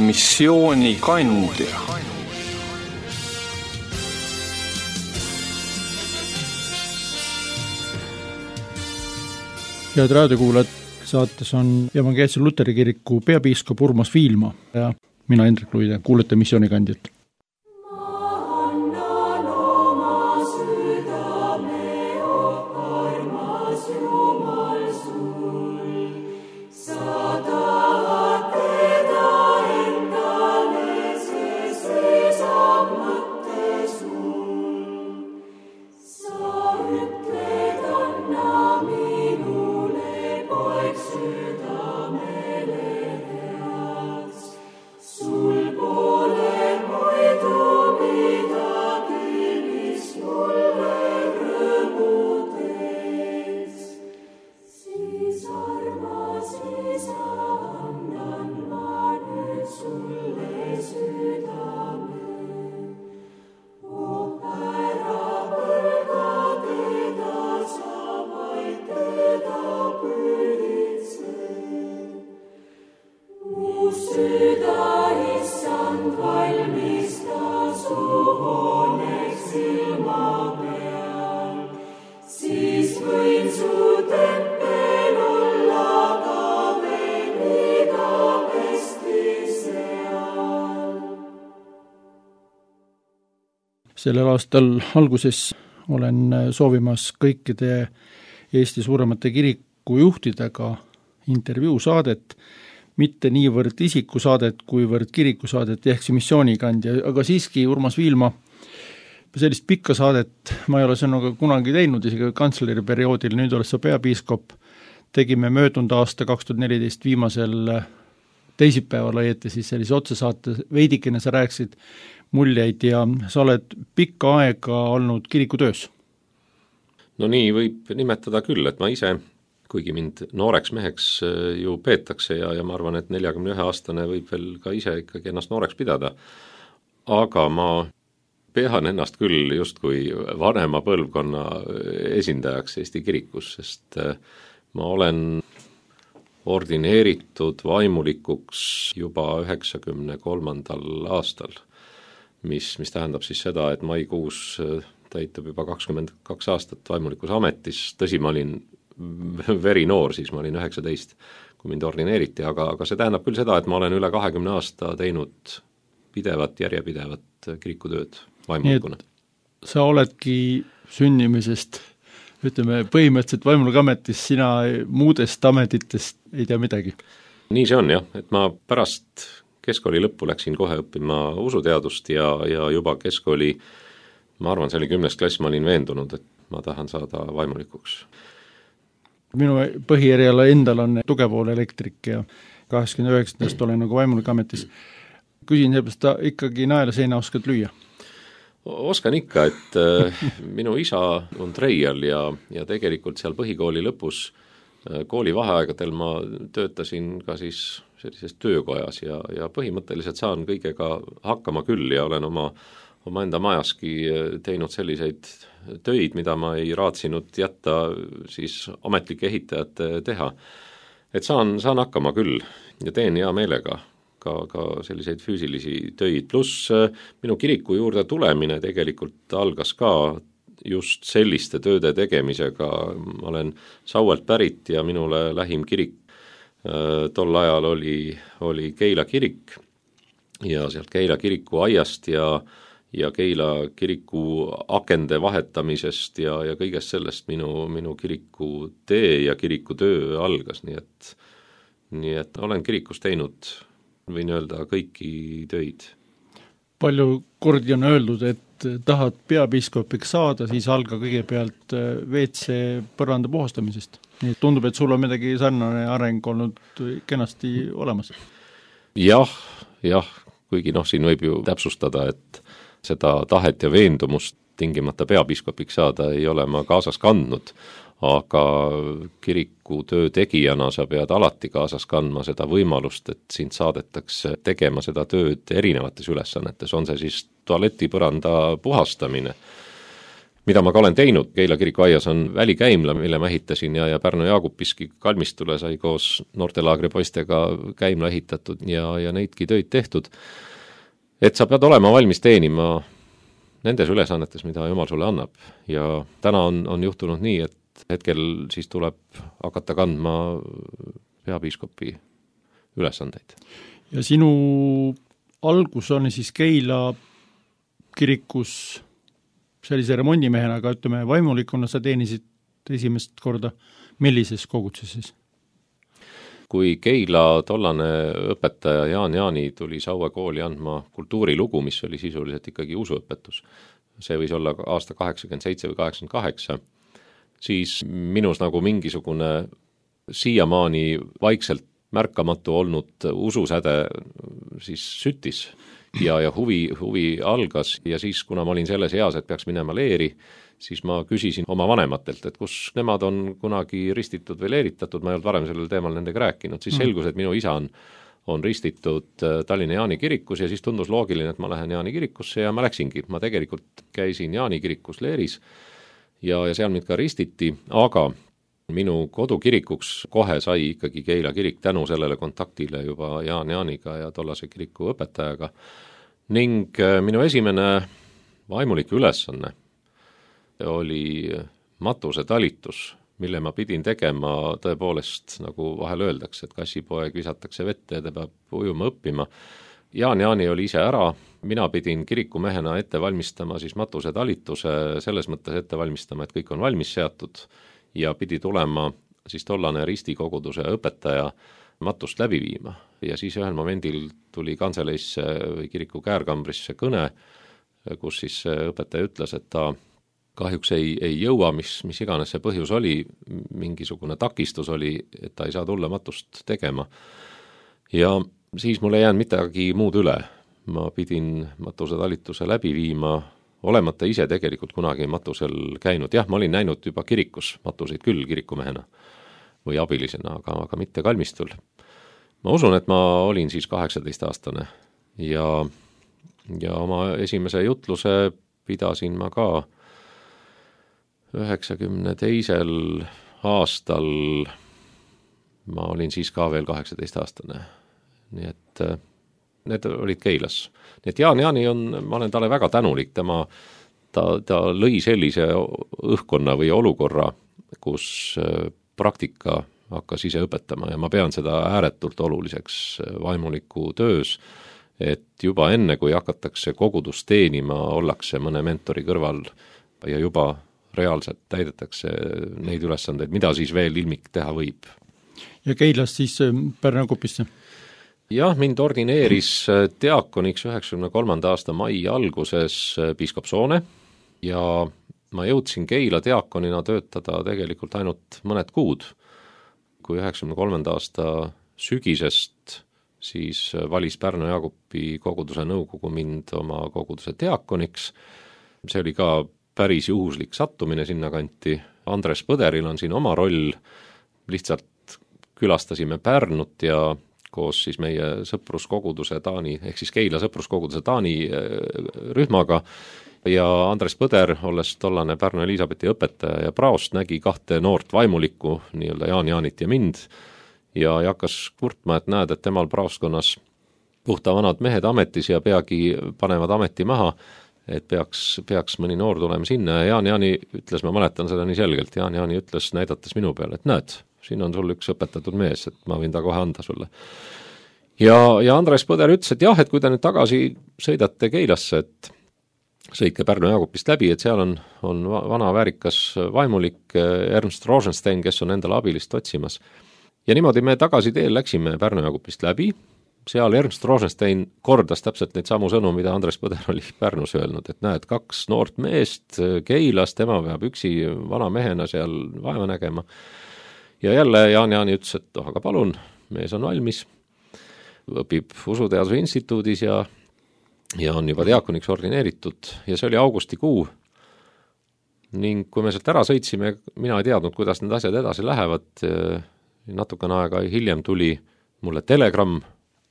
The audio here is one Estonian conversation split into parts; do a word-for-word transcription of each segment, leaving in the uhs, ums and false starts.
missioonikandja. Head raadiokuulajad, saates on Evangeelse Luteri kiriku peapiiskop Urmas Viilma ja mina Hendrik Luide, kuulete missioonikandjat. Sellel aastal alguses olen soovimas kõikide Eesti suuremate kirikujuhtidega intervjuusaadet, mitte niivõrd isikusaadet, kuivõrd kirikusaadet ehk see missioonikandja, aga siiski Urmas Viilma, sellist pikka saadet ma ei ole sinuga kunagi teinud, isegi kantsleri perioodil, nüüd oled sa peapiiskop, tegime möödunud aasta kaks tuhat neliteist viimasel teisipäeval õieti siis sellise otsesaate, veidikene sa rääkisid muljeid ja sa oled pikka aega olnud kirikutöös. No nii võib nimetada küll, et ma ise, kuigi mind nooreks meheks ju peetakse ja, ja ma arvan, et neljakümne ühe aastane võib veel ka ise ikkagi ennast nooreks pidada, aga ma pean ennast küll justkui vanema põlvkonna esindajaks Eesti kirikus, sest ma olen ordineeritud vaimulikuks juba üheksakümne kolmandal aastal, mis, mis tähendab siis seda, et maikuus täitub juba kakskümmend kaks aastat vaimulikus ametis, tõsi, ma olin veri noor, siis ma olin üheksateist, kui mind ordineeriti, aga, aga see tähendab küll seda, et ma olen üle kahekümne aasta teinud pidevat, järjepidevat kirikutööd vaimulikuna. Sa oledki sünnimisest, ütleme, põhimõtteliselt vaimuliku ametis, sina muudest ametitest ei tea midagi. Nii see on jah, et ma pärast keskkooli lõppu läksin kohe õppima usuteadust ja, ja juba keskkooli, ma arvan, see oli kümnes klass, ma olin veendunud, et ma tahan saada vaimulikuks. Minu põhieriala endal on tugevool elektrik ja kaheksakümne üheksandast olen nagu vaimuliku ametis. Küsin seepärast, ta ikkagi naela seina oskad lüüa? Oskan ikka, et äh, minu isa on treial ja, ja tegelikult seal põhikooli lõpus äh, kooli vaheaegadel ma töötasin ka siis sellises töökojas ja, ja põhimõtteliselt saan kõigega hakkama küll ja olen oma, oma enda majaski teinud selliseid töid, mida ma ei raatsinud jätta siis ametlike ehitajate teha. Et saan, saan hakkama küll ja teen hea meelega ka, ka selliseid füüsilisi töid, pluss minu kiriku juurde tulemine tegelikult algas ka just selliste tööde tegemisega. Ma olen Sauelt pärit ja minule lähim kirik tol ajal oli, oli Keila kirik ja sealt Keila kiriku aiast ja, ja Keila kiriku akende vahetamisest ja, ja kõigest sellest minu, minu kiriku tee ja kiriku töö algas, nii et, nii et olen kirikus teinud, võin öelda, kõiki töid. Palju kordi on öeldud, et tahad peapiiskopiks saada, siis alga kõigepealt V C põranda puhastamisest. Nii tundub, et sul on midagi sarnane areng olnud kenasti olemas. Jah, jah, kuigi noh, siin võib ju täpsustada, et seda tahet ja veendumust tingimata peapiiskopiks saada ei ole ma kaasas kandnud, aga kiriku töö tegijana sa pead alati kaasas kandma seda võimalust, et sind saadetakse tegema seda tööd erinevates ülesannetes, on see siis tualetipõranda puhastamine mida ma ka olen teinud. Keila kirikuaias on välikäimla, mille ma ehitasin ja, ja Pärnu Jaagupiski kalmistule sai koos noortelaagri poistega käimla ehitatud ja, ja neidki töid tehtud. Et sa pead olema valmis teenima nendes ülesannetes, mida Jumal sulle annab. Ja täna on, on juhtunud nii, et hetkel siis tuleb hakata kandma peapiiskopi ülesandeid. Ja sinu algus on siis Keila kirikus sellise remondimehena, aga ütleme, vaimulikuna sa teenisid esimest korda millises kogudses? Kui Keila tollane õpetaja Jaan Jaani tuli Saue kooli andma kultuurilugu, mis oli sisuliselt ikkagi usuõpetus, see võis olla aasta kaheksakümmend seitse või kaheksakümmend kaheksa, siis minus nagu mingisugune siiamaani vaikselt märkamatu olnud ususäde siis süttis ja, ja huvi, huvi algas ja siis, kuna ma olin selles eas, et peaks minema leeri, siis ma küsisin oma vanematelt, et kus nemad on kunagi ristitud või leeritatud, ma ei olnud varem sellel teemal nendega rääkinud, siis selgus, et minu isa on, on ristitud Tallinna Jaani kirikus ja siis tundus loogiline, et ma lähen Jaani kirikusse ja ma läksingi. Ma tegelikult käisin Jaani kirikus leeris ja, ja seal mind ka ristiti, aga minu kodukirikuks kohe sai ikkagi Keila kirik tänu sellele kontaktile juba Jaan Jaaniga ja tollase kiriku õpetajaga. Ning minu esimene vaimulik ülesanne oli matuse talitus, mille ma pidin tegema tõepoolest, nagu vahel öeldakse, et kassipoeg visatakse vette ja ta peab ujuma õppima. Jaan Jaani oli ise ära, mina pidin kirikumehena ette valmistama siis matuse talituse, selles mõttes ette valmistama, et kõik on valmis seatud ja pidi tulema siis tollane ristikoguduse õpetaja matust läbi viima. Ja siis ühel momendil tuli kantseleisse või kiriku käärkambrisse kõne, kus siis õpetaja ütles, et ta kahjuks ei, ei jõua, mis, mis iganes see põhjus oli, mingisugune takistus oli, et ta ei saa tulla matust tegema. Ja siis mul ei jäänud midagi muud üle. Ma pidin matuse talituse läbi viima, olemata ise tegelikult kunagi matusel käinud. Jah, ma olin näinud juba kirikus matuseid küll kirikumehena või abilisena, aga, aga mitte kalmistul. Ma usun, et ma olin siis kaheksateist aastane ja, ja oma esimese jutluse pidasin ma ka üheksakümne teisel aastal, ma olin siis ka veel kaheksateist aastane. Nii et need olid Keilas. Nii et Jaan Jaani on, ma olen talle väga tänulik, tema, ta, ta lõi sellise õhkkonna või olukorra, kus praktika hakkas ise õpetama ja ma pean seda ääretult oluliseks vaimuliku töös, et juba enne, kui hakatakse kogudust teenima, ollakse mõne mentori kõrval ja juba reaalselt täidetakse neid ülesandeid, mida siis veel ilmik teha võib. Ja Keilast siis Pärnu Jaagupisse? Jah, mind ordineeris diakoniks üheksakümne kolmanda aasta mai alguses piiskop Soone ja ma jõudsin Keila diakonina töötada tegelikult ainult mõned kuud. Kui üheksakümne kolmanda aasta sügisest siis valis Pärnu Jaagupi koguduse nõukogu mind oma koguduse diakoniks. See oli ka päris juhuslik sattumine sinna kanti. Andres Põderil on siin oma roll, lihtsalt külastasime Pärnut ja koos siis meie sõpruskoguduse Taani, ehk siis Keila sõpruskoguduse Taani rühmaga ja Andres Põder, olles tollane Pärnu Elisabethi õpetaja ja praost, nägi kahte noort vaimulikku, nii-öelda Jaan Jaanit ja mind ja hakkas kurtma, et näed, et temal praostkonnas puhta vanad mehed ametis ja peagi panevad ameti maha, et peaks, peaks mõni noor tulema sinna ja Jaan Jaani ütles, ma mäletan seda nii selgelt, Jaan Jaani ütles näidates minu peale, et näed, siin on sul üks õpetatud mees, et ma võin ta kohe anda sulle. Ja, ja Andres Põder ütles, et jah, et kui te nüüd tagasi sõidate Keilasse, et sõitke Pärnu Jaagupist läbi, et seal on, on vana väärikas vaimulik Ernst Rosenstein, kes on endale abilist otsimas. Ja niimoodi me tagasi teel läksime Pärnu Jaagupist läbi, seal Ernst Rosenstein kordas täpselt neid samu sõnu, mida Andres Põder oli Pärnus öelnud, et näed, kaks noort meest Keilas, tema peab üksi vana mehena seal vaeva nägema. Ja jälle Jaan Jaani ütles, et oh, aga palun, mees on valmis, õpib usuteaduse instituudis ja, ja on juba diakoniks ordineeritud ja see oli augustikuu. Ning kui me sealt ära sõitsime, mina ei teadnud, kuidas need asjad edasi lähevad, natukene aega hiljem tuli mulle telegramm,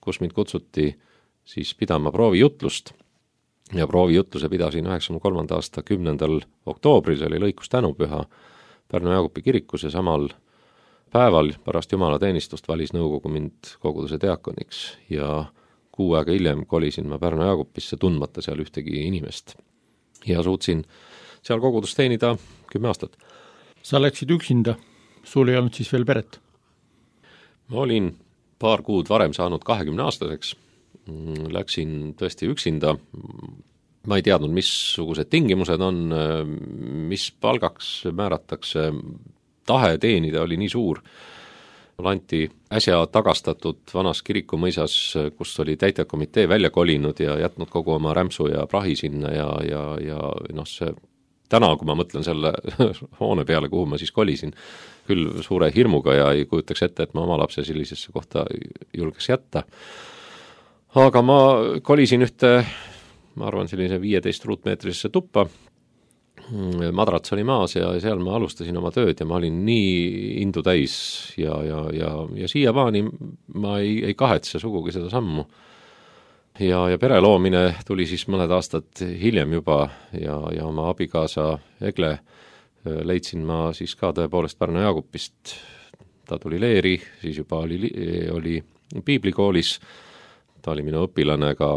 kus mind kutsuti siis pidama proovijutlust ja proovijutluse pidasin üheksakümne kolmanda aasta kümnendal oktoobril, see oli lõikus tänupüha Pärnu Jaagupi kirikus ja samal päeval pärast jumalateenistust valis nõukogu mind koguduse diakoniks ja kuu aega hiljem kolisin ma Pärnu Jaagupisse, tundmata seal ühtegi inimest. Ja suutsin seal kogudust teenida kümme aastat. Sa läksid üksinda, sul ei olnud siis veel peret? Ma olin paar kuud varem saanud kahekümne aastaseks, läksin tõesti üksinda, ma ei teadnud, missugused tingimused on, mis palgaks määratakse, tahe teenida oli nii suur. Mulle anti äsja tagastatud vanas kirikumõisas, kus oli täitekomitee välja kolinud ja jätnud kogu oma rämpsu ja prahi sinna ja, ja, ja noh, see täna, kui ma mõtlen selle hoone peale, kuhu ma siis kolisin, küll suure hirmuga ja ei kujutaks ette, et ma oma lapse sellisesse kohta julgeks jätta. Aga ma kolisin ühte, ma arvan, sellise viieteist ruutmeetrisesse tuppa, madrats oli maas ja seal ma alustasin oma tööd ja ma olin nii indu täis ja, ja, ja, ja siiamaani ma ei, ei kahetse sugugi seda sammu. Ja, ja pere loomine tuli siis mõned aastad hiljem juba ja, ja oma abikaasa Egle leidsin ma siis ka tõepoolest Pärnu Jaagupist. Ta tuli leeri, siis juba oli, oli piiblikoolis, ta oli minu õpilane ka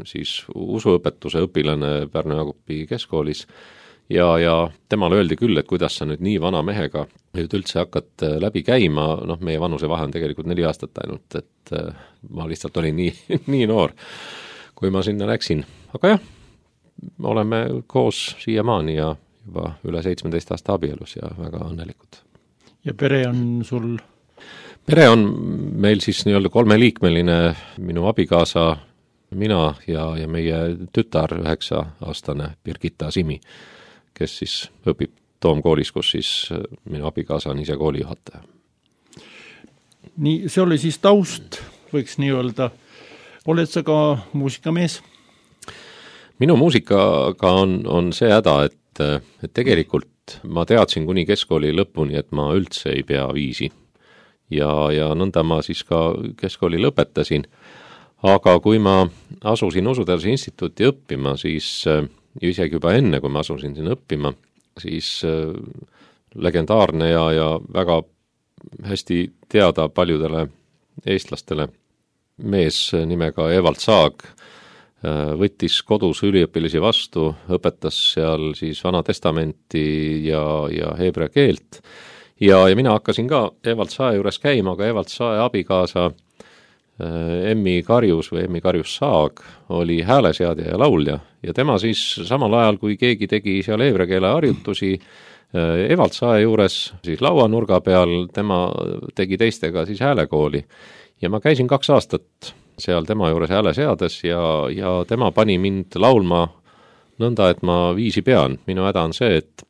siis usuõpetuse õpilane Pärnu Jaagupi keskkoolis ja, ja temale öeldi küll, et kuidas sa nüüd nii vana mehega nüüd üldse hakkad läbi käima, noh, meie vanuse vahe on tegelikult neli aastat ainult, et ma lihtsalt olin nii, nii noor, kui ma sinna läksin. Aga jah, oleme koos siiamaani ja juba üle seitsmeteist aasta abielus ja väga õnnelikud. Ja pere on sul? Pere on meil siis nii-öelda kolmeliikmeline, minu abikaasa, mina ja, ja meie tütar üheksa aastane Birgitta Simi, kes siis õpib Toomkoolis, kus siis minu abikaasa on ise koolijuhataja. Nii, see oli siis taust, võiks nii öelda. Oled sa ka muusikamees? Minu muusikaga on, on see häda, et, et tegelikult ma teadsin kuni keskkooli lõpuni, et ma üldse ei pea viisi. Ja, ja nõnda ma siis ka keskkooli lõpetasin. Aga kui ma asusin Usuteaduse instituuti õppima, siis isegi juba enne, kui ma asusin siin õppima, siis legendaarne ja, ja väga hästi teada paljudele eestlastele mees nimega Evald Saag võttis kodus üliõpilasi vastu, õpetas seal siis Vana Testamenti ja, ja heebrea keelt. Ja, ja mina hakkasin ka Evald Sae juures käima, aga Evald Sae abikaasa Emmi Karjus või Emmi Karjus Saag oli hääleseadja ja laulja ja tema siis samal ajal, kui keegi tegi seal heebrea keele harjutusi Evald Sae juures, siis lauanurga peal, tema tegi teistega siis häälekooli ja ma käisin kaks aastat seal tema juures hääleseades ja, ja tema pani mind laulma nõnda, et ma viisi pean. Minu häda on see, et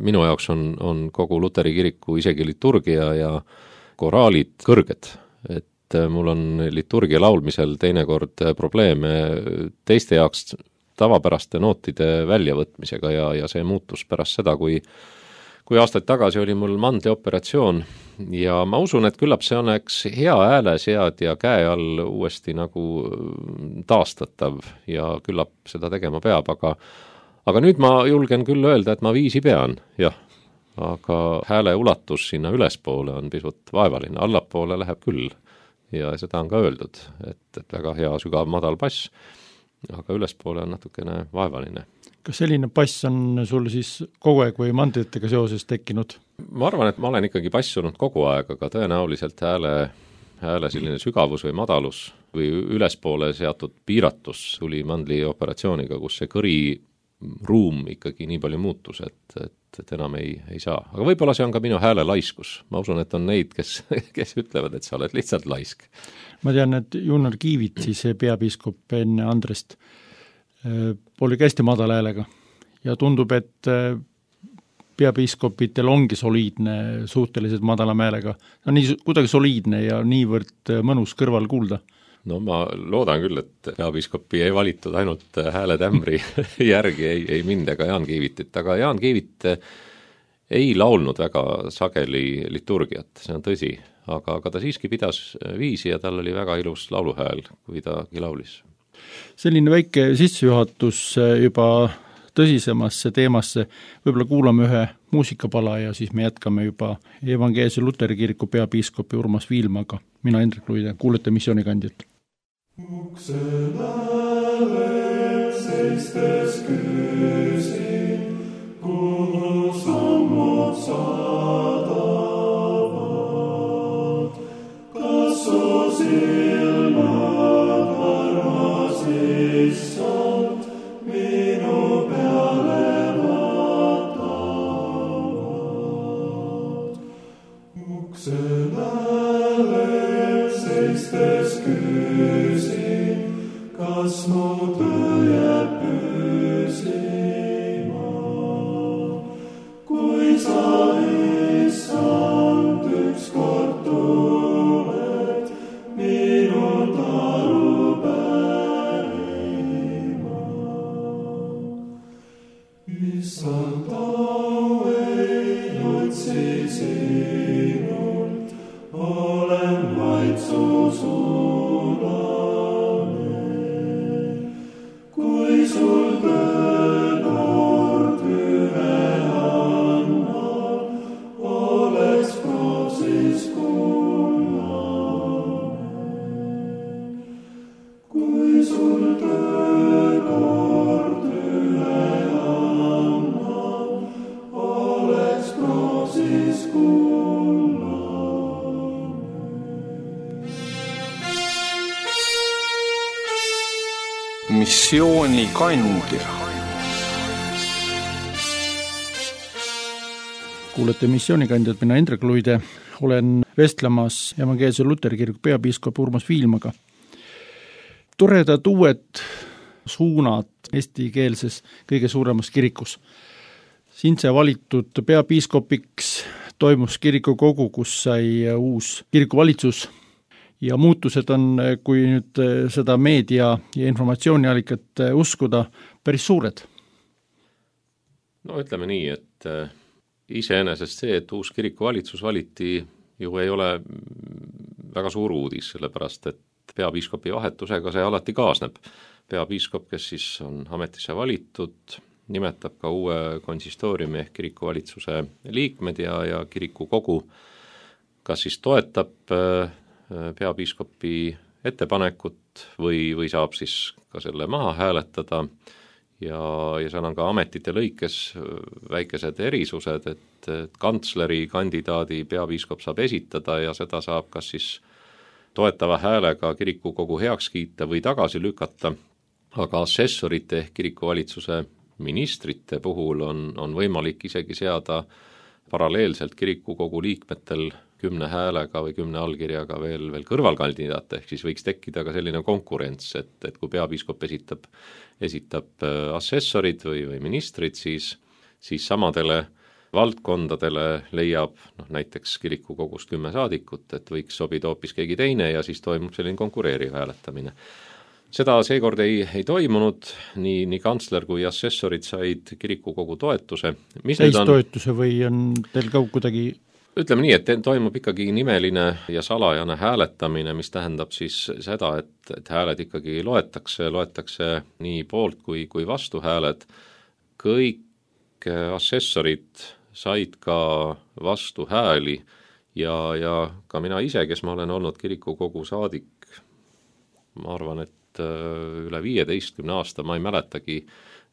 minu jaoks on, on kogu Luteri kiriku isegi liturgia ja koraalid kõrged, et mul on liturgia laulmisel teinekord probleeme teiste jaoks tavapäraste nootide väljavõtmisega ja, ja see muutus pärast seda, kui, kui aastaid tagasi oli mul mandlioperatsioon ja ma usun, et küllap see oleks hea häälesead ja käe all uuesti nagu taastatav ja küllap seda tegema peab, aga, aga nüüd ma julgen küll öelda, et ma viisi pean, jah, aga hääle ulatus sinna ülespoole on pisut vaevaline, allapoole läheb küll. Ja seda on ka öeldud, et, et väga hea sügav madal bass, aga ülespoole on natukene vaevaline. Kas selline bass on sul siis kogu aeg või mandritega seoses tekkinud? Ma arvan, et ma olen ikkagi bassunud kogu aeg, aga tõenäoliselt hääle, hääle selline sügavus või madalus või ülespoole seatud piiratus tuli mandli operatsiooniga, kus see kõri ruum ikkagi nii palju muutus, et, et, et enam ei, ei saa. Aga võib-olla see on ka minu hääle laiskus. Ma usun, et on neid, kes, kes ütlevad, et sa oled lihtsalt laisk. Ma tean, et Junnar Kiivit, siis peapiiskop enne Andrest, oli hästi madal häälega ja tundub, et peapiiskopitel ongi soliidne suhteliselt madala häälega. No nii kuidagi soliidne ja niivõrd mõnus kõrval kuulda. No ma loodan küll, et peapiiskopi ei valitud ainult hääletämbri järgi, ei, ei mind ega Jaan Kiivitit, aga Jaan Kiivit ei laulnud väga sageli liturgiat, see on tõsi, aga, aga ta siiski pidas viisi ja tal oli väga ilus lauluhääl, kui ta laulis. Selline väike sissejuhatus juba tõsisemasse teemasse, võib-olla kuulame ühe muusikapala ja siis me jätkame juba Evangeelse Luteri kiriku peapiiskopi Urmas Viilmaga. Mina Hendrik Luide, kuulete Missioonikandjat. Ukse lävel seistes küsin, kuhu sammud saadavad, kas su silmad armas issand minu peale vaatavad. Ukse lävel seistes küsin, kas mu töö jääb püsima, kui sa issand ükskord tuled minult aru pärima. Issand, au ei otsi sinult, olen vaid su sulane. Kui sul tõenord üle annab, oleks kroosis kullane. Kui sul tõenord üle annab, oleks kroosis kullane. Missioonikandja. Kuulete Missioonikandjat, mina Hendrik Luide, olen vestlemas Evangeelse Luteri kiriku peapiiskop Urmas Viilmaga. Toredad uued suunad eestikeelses kõige suuremas kirikus. Siin sai valitud peapiiskopiks, toimus kirikukogu, kus sai uus kirikuvalitsus ja muutused on, kui nüüd seda meedia ja informatsiooniallikat uskuda, päris suured. No ütleme nii, et iseenesest see, et uus kirikuvalitsus valiti, ju ei ole väga suur uudis, sellepärast et peapiiskopi vahetusega see alati kaasneb. Peapiiskop, kes siis on ametisse valitud, nimetab ka uue konsistooriumi ehk kirikuvalitsuse liikmed ja, ja kirikukogu, kas siis toetab peapiiskopi ettepanekut või, või saab siis ka selle maha hääletada ja, ja seal on ka ametite lõikes väikesed erisused, et, et kantsleri kandidaadi peapiiskop saab esitada ja seda saab kas siis toetava häälega kirikukogu heaks kiita või tagasi lükata, aga assessorite ehk kirikuvalitsuse ministrite puhul on, on võimalik isegi seada paralleelselt kirikukogu liikmetel kümne häälega või kümne allkirjaga veel, veel kõrvalkandidaate, ehk siis võiks tekkida ka selline konkurents, et, et kui peapiiskop esitab, esitab assessorid või, või ministrid, siis, siis samadele valdkondadele leiab noh, näiteks kirikukogust kümme saadikut, et võiks sobida hoopis keegi teine ja siis toimub selline konkureeriv hääletamine. Seda seekord ei, ei toimunud, nii, nii kantsler kui assessorid said kirikukogu toetuse. Täistoetuse või on teil ka kuidagi? Ütleme nii, et toimub ikkagi nimeline ja salajane hääletamine, mis tähendab siis seda, et, et hääled ikkagi loetakse, loetakse nii poolt kui, kui vastu hääled. Kõik assessorid said ka vastu hääli ja, ja ka mina ise, kes ma olen olnud kirikukogu saadik, ma arvan, et üle viieteistkümne aasta ma ei mäletagi,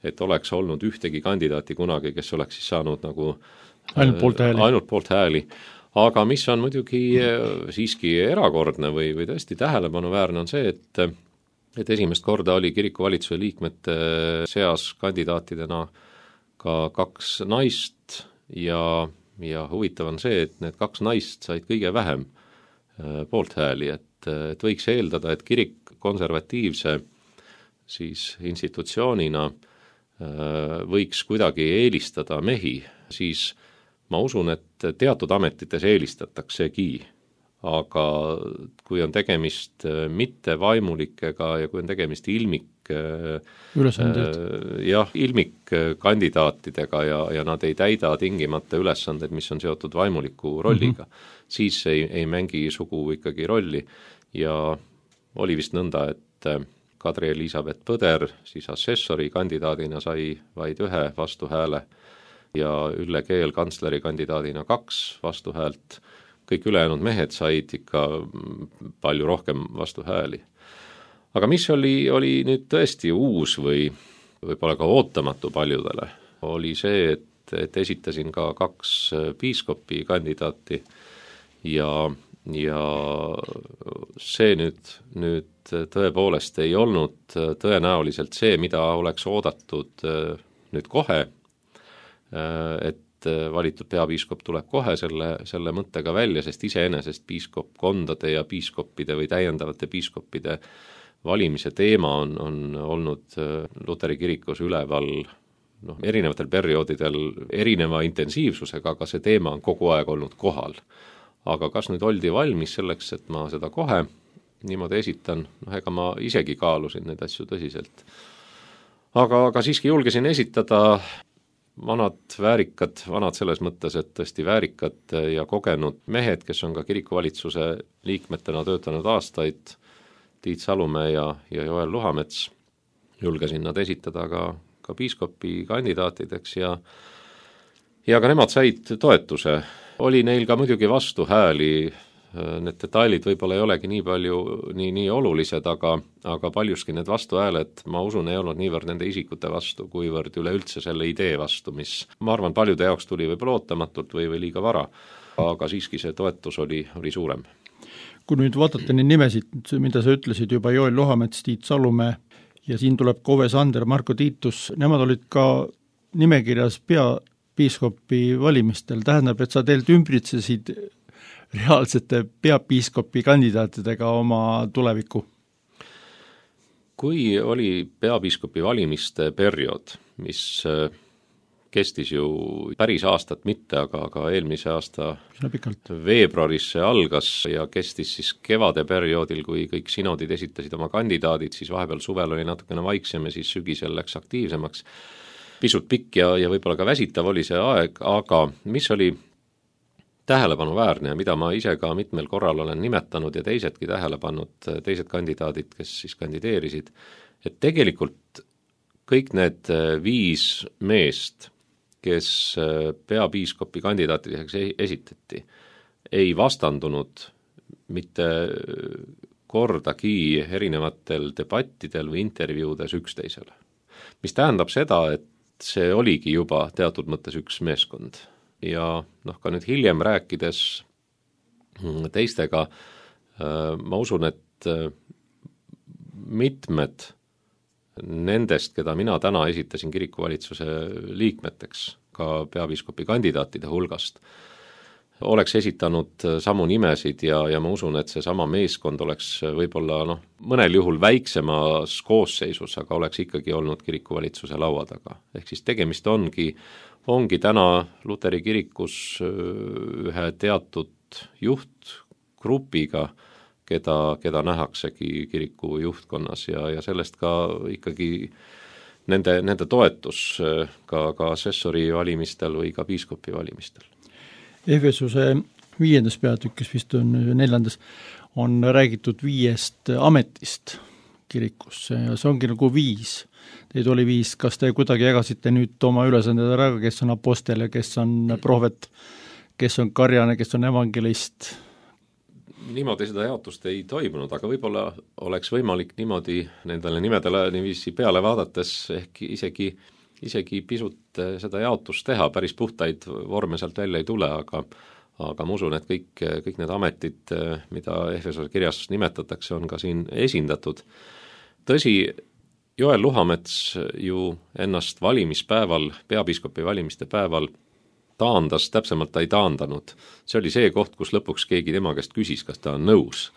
et oleks olnud ühtegi kandidaati kunagi, kes oleks siis saanud nagu ainult poolt hääli. Ainult poolt hääli. Aga mis on muidugi siiski erakordne või, või tõesti tähelepanuväärne on see, et, et esimest korda oli kirikuvalitsuse liikmete seas kandidaatidena ka kaks naist ja, ja huvitav on see, et need kaks naist said kõige vähem poolt hääli, et, et võiks eeldada, et kirik konservatiivse siis institutsioonina võiks kuidagi eelistada mehi, siis ma usun, et teatud ametites eelistataksegi, aga kui on tegemist mitte vaimulikega ja kui on tegemist ilmik ülesanded. jah, ilmikkandidaatidega ja, ja nad ei täida tingimata ülesanded, mis on seotud vaimuliku rolliga, mm-hmm. siis ei, ei mängi sugu ikkagi rolli ja oli vist nõnda, et Kadri Elisabeth Põder siis assessori kandidaadina sai vaid ühe vastuhääle ja Ülle Keel kantsleri kandidaadina kaks vastuhäält. Kõik ülejäänud mehed said ikka palju rohkem vastuhääli. Aga mis oli, oli nüüd tõesti uus või võib-olla ka ootamatu paljudele, oli see, et, et esitasin ka kaks piiskopi kandidaati ja, ja see nüüd, nüüd tõepoolest ei olnud tõenäoliselt see, mida oleks oodatud nüüd kohe, et valitud peapiiskop tuleb kohe selle, selle mõttega välja, sest iseenesest piiskopkondade ja piiskoppide või täiendavate piiskoppide valimise teema on, on olnud Luteri kirikus üleval noh, erinevatel perioodidel erineva intensiivsusega, aga see teema on kogu aeg olnud kohal. Aga kas nüüd oldi valmis selleks, et ma seda kohe niimoodi esitan, noh ega ma isegi kaalusin neid asju tõsiselt. Aga, aga siiski julgesin esitada vanad väärikad, vanad selles mõttes, et tõesti väärikad ja kogenud mehed, kes on ka kirikuvalitsuse liikmetena töötanud aastaid, Tiit Salumäe ja, ja Joel Luhamets, julgesin nad esitada ka, ka piiskopi kandidaatideks ja, ja ka nemad said toetuse. Oli neil ka muidugi vastuhääli, need detailid võib-olla ei olegi nii palju, nii, nii olulised, aga, aga paljuski need vastuhääled, ma usun, ei olnud niivõrd nende isikute vastu, kuivõrd üleüldse selle idee vastu, mis ma arvan, paljude jaoks tuli võib-olla ootamatult või, või liiga vara, aga siiski see toetus oli, oli suurem. Kui nüüd vaatate neid nimesid, mida sa ütlesid juba, Joel Luhamets, Tiit Salumäe ja siin tuleb Kove Sander, Marko Tiitus, nemad olid ka nimekirjas peapiiskopi valimistel, tähendab, et sa teilt ümbritsesid reaalsete peapiiskopi kandidaatidega oma tulevikku? Kui oli peapiiskopi valimiste periood, mis kestis ju päris aastat mitte, aga, aga eelmise aasta veebruaris see algas ja kestis siis kevade perioodil, kui kõik sinodid esitasid oma kandidaadid, siis vahepeal suvel oli natukene vaiksem ja siis sügisel läks aktiivsemaks. Pisut pikk ja, ja võib-olla ka väsitav oli see aeg, aga mis oli tähelepanuväärne ja mida ma ise ka mitmel korral olen nimetanud ja teisedki tähele pannud, teised kandidaadid, kes siis kandideerisid, et tegelikult kõik need viis meest, kes peapiiskopi kandidaatideks esitati, ei vastandunud mitte kordagi erinevatel debattidel või intervjuudes üksteisele. Mis tähendab seda, et see oligi juba teatud mõttes üks meeskond. Ja noh, ka nüüd hiljem rääkides teistega, ma usun, et mitmed nendest, keda mina täna esitasin kirikuvalitsuse liikmeteks ka peapiiskopi kandidaatide hulgast, oleks esitanud samu nimesid ja, ja ma usun, et see sama meeskond oleks võib-olla noh, mõnel juhul väiksemas koosseisus, aga oleks ikkagi olnud kirikuvalitsuse laua taga. Ehk siis tegemist ongi, ongi täna Luteri kirikus ühe teatud juhtgrupiga, keda, keda nähaksegi kiriku juhtkonnas ja, ja sellest ka ikkagi nende, nende toetus ka, ka assessori valimistel või ka piiskopi valimistel. Efesuse viiendas peatükis, vist on neljandas, on räägitud viiest ametist kirikus ja see ongi nagu viis. Teid oli viis, kas te kuidagi jagasite nüüd oma ülesanded ära, kes on apostel ja kes on prohvet, kes on karjane, kes on evangelist? Niimoodi seda jaotust ei toimunud, aga võib-olla oleks võimalik niimoodi nendele nimedele niiviisi peale vaadates ehk isegi, isegi pisut seda jaotust teha, päris puhtaid vorme sealt välja ei tule, aga, aga ma usun, et kõik, kõik need ametid, mida Efesose kirjas nimetatakse, on ka siin esindatud. Tõsi, Joel Luhamets ju ennast valimispäeval, peapiiskopi valimiste päeval taandas, täpsemalt ta ei taandanud. See oli see koht, kus lõpuks keegi tema käest küsis, kas ta on nõus.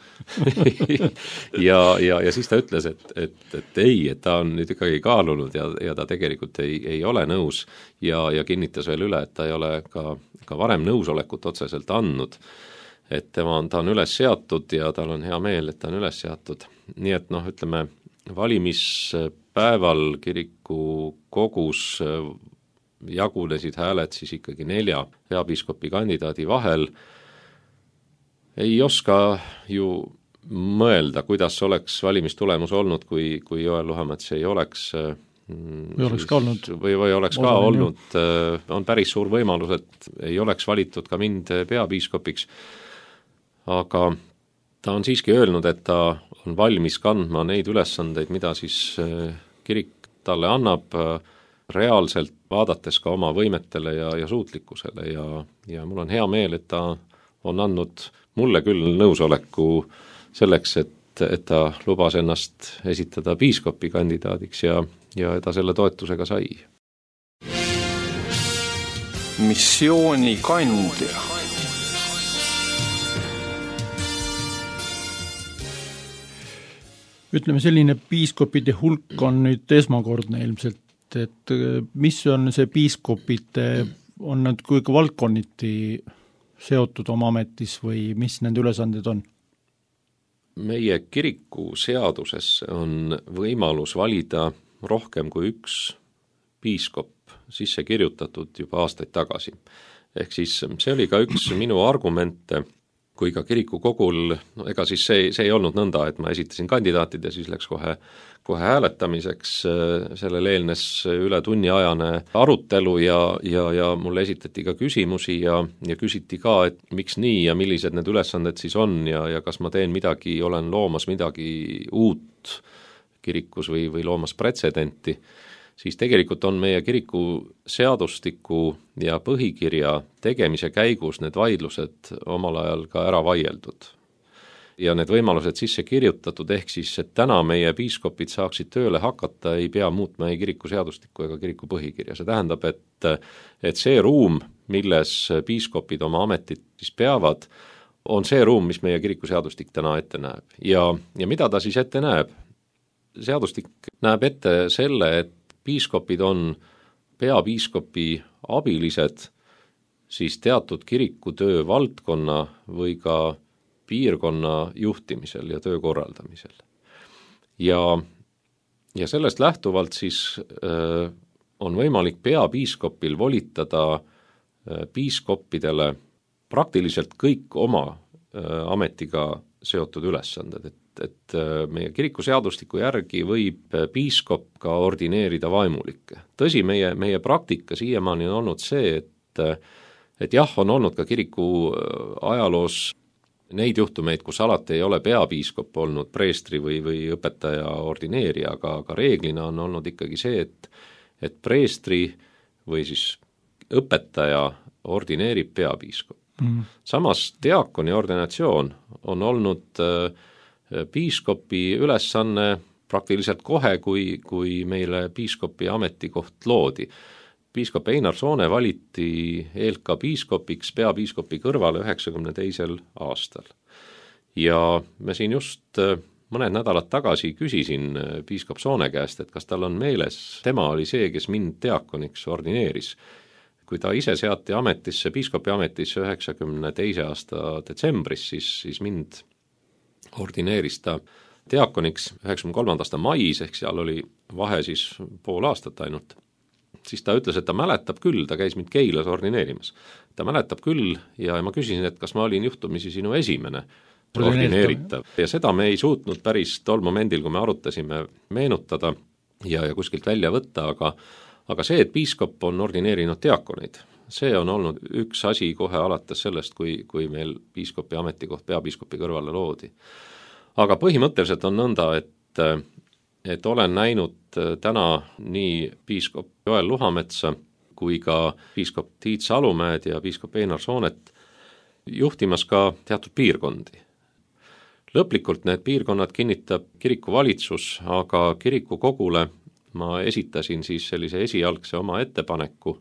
ja, ja, ja siis ta ütles, et, et, et ei, et ta on nüüd ikkagi kaalunud ja, ja ta tegelikult ei, ei ole nõus ja, ja kinnitas veel üle, et ta ei ole ka, ka varem nõusolekut otseselt andnud. Et tema on, ta on üles seatud ja tal on hea meel, et ta on üles seatud. Nii et noh, ütleme, valimispäeval kiriku kogus jagunesid hääled siis ikkagi nelja peapiiskopi kandidaadi vahel. Ei oska ju mõelda, kuidas oleks valimistulemus olnud, kui, kui Joel Luhamets ei oleks või oleks ka olnud, või, või oleks ka olnud, on päris suur võimalus, et ei oleks valitud ka mind peapiiskopiks, aga ta on siiski öelnud, et ta on valmis kandma neid ülesandeid, mida siis kirik talle annab, reaalselt vaadates ka oma võimetele ja, ja suutlikkusele ja, ja mul on hea meel, et ta on andnud mulle küll nõusoleku selleks, et, et ta lubas ennast esitada piiskopi kandidaadiks ja, ja ta selle toetusega sai. Missioonikandja. Ütleme, selline piiskopide hulk on nüüd esmakordne ilmselt, et mis on see piiskopite, on nad kuigi valdkonniti seotud oma ametis või mis nende ülesanded on? Meie kiriku seaduses on võimalus valida rohkem kui üks piiskop sisse kirjutatud juba aastaid tagasi. Ehk siis see oli ka üks minu argumente, kui ka kirikukogul, no ega siis see, see ei olnud nõnda, et ma esitasin kandidaatid ja siis läks kohe, kohe hääletamiseks, sellele eelnes üle tunniajane arutelu ja, ja, ja mulle esitati ka küsimusi ja, ja küsiti ka, et miks nii ja millised need ülesanded siis on ja, ja kas ma teen midagi, olen loomas midagi uut kirikus või, või loomas pretsedenti, siis tegelikult on meie kiriku seadustiku ja põhikirja tegemise käigus need vaidlused omal ajal ka ära vaieldud. Ja need võimalused sisse kirjutatud, ehk siis, et täna meie piiskopid saaksid tööle hakata, ei pea muutma ei kiriku seadustikku ega kiriku põhikirja. See tähendab, et, et see ruum, milles piiskopid oma ametit siis peavad, on see ruum, mis meie kiriku seadustik täna ette näeb. Ja, ja mida ta siis ette näeb? Seadustik näeb ette selle, et piiskopid on peapiiskopi abilised siis teatud kirikutöö valdkonna või ka piirkonna juhtimisel ja töö korraldamisel. Ja, ja sellest lähtuvalt siis äh, on võimalik peapiiskopil volitada äh, piiskoppidele praktiliselt kõik oma äh, ametiga seotud ülesanded, et et meie kirikuseadustiku järgi võib piiskop ka ordineerida vaimulikke. Tõsi, meie, meie praktika siiamaani on olnud see, et, et jah, on olnud ka kiriku ajaloos neid juhtumeid, kus alati ei ole peapiiskop olnud preestri või, või õpetaja ordineerija, aga, aga reeglina on olnud ikkagi see, et, et preestri või siis õpetaja ordineerib peapiiskop. Mm. Samas diakoni ordinatsioon on olnud äh, piiskopi ülesanne praktiliselt kohe, kui, kui meile piiskopi ametikoht loodi. Piiskop Einar Soone valiti Eelka piiskopiks peapiiskopi kõrvale üheksakümne teisel aastal. Ja me siin just mõned nädalad tagasi küsisin piiskop Soone käest, et kas tal on meeles, tema oli see, kes mind diakoniks ordineeris. Kui ta ise seati ametisse, piiskopi ametisse üheksakümne teise aasta detsembris, siis, siis mind ordineeris ta diakoniks üheksakümne kolmanda aasta mais, ehk seal oli vahe siis pool aastat ainult. Siis ta ütles, et ta mäletab küll, ta käis mind Keilas ordineerimas. Ta mäletab küll ja ma küsisin, et kas ma olin juhtumisi sinu esimene ordineeritav. Ja seda me ei suutnud päris tol momendil, kui me arutasime, meenutada ja, ja kuskilt välja võtta, aga, aga see, et piiskop on ordineerinud diakoneid, see on olnud üks asi kohe alates sellest, kui, kui meil piiskopi ametikoht peapiiskopi kõrvale loodi. Aga põhimõtteliselt on nõnda, et, et olen näinud täna nii piiskop Joel Luhametsa kui ka piiskop Tiit Salumäed ja piiskop Einar Soonet juhtimas ka teatud piirkondi. Lõplikult need piirkonnad kinnitab kirikuvalitsus, aga kirikukogule ma esitasin siis sellise esialgse oma ettepaneku,